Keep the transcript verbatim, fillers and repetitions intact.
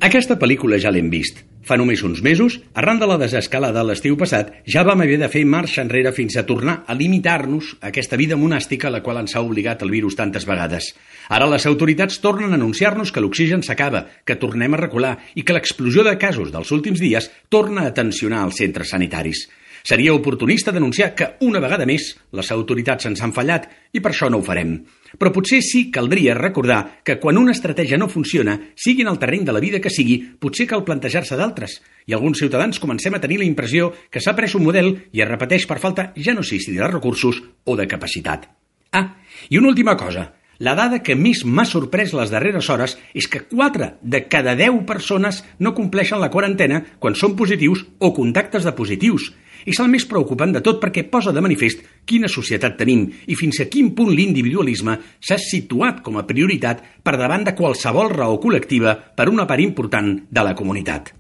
Aquesta pel·lícula ja l'hem vist. Fa només uns mesos, arran de la desescalada de l'estiu passat, ja vam haver de fer marxa enrere fins a tornar a limitar-nos a aquesta vida monàstica a la qual ens ha obligat el virus tantes vegades. Ara les autoritats tornen a anunciar-nos que l'oxigen s'acaba, que tornem a recular i que l'explosió de casos dels últims dies torna a tensionar els centres sanitaris. Seria oportunista denunciar que, una vegada més, les autoritats ens han fallat i per això no ho farem. Però potser sí caldria recordar que quan una estratègia no funciona, sigui en el terreny de la vida que sigui, potser cal plantejar-se d'altres. I alguns ciutadans comencem a tenir la impressió que s'ha pres un model i es repeteix per falta ja no sé si de recursos o de capacitat. Ah, i una última cosa. La dada que més m'ha sorprès les darreres hores és que quatre de cada deu persones no compleixen la quarantena quan són positius o contactes de positius. És el més preocupant de tot perquè posa de manifest quina societat tenim i fins a quin punt l'individualisme s'ha situat com a prioritat per davant de qualsevol raó col·lectiva per una part important de la comunitat.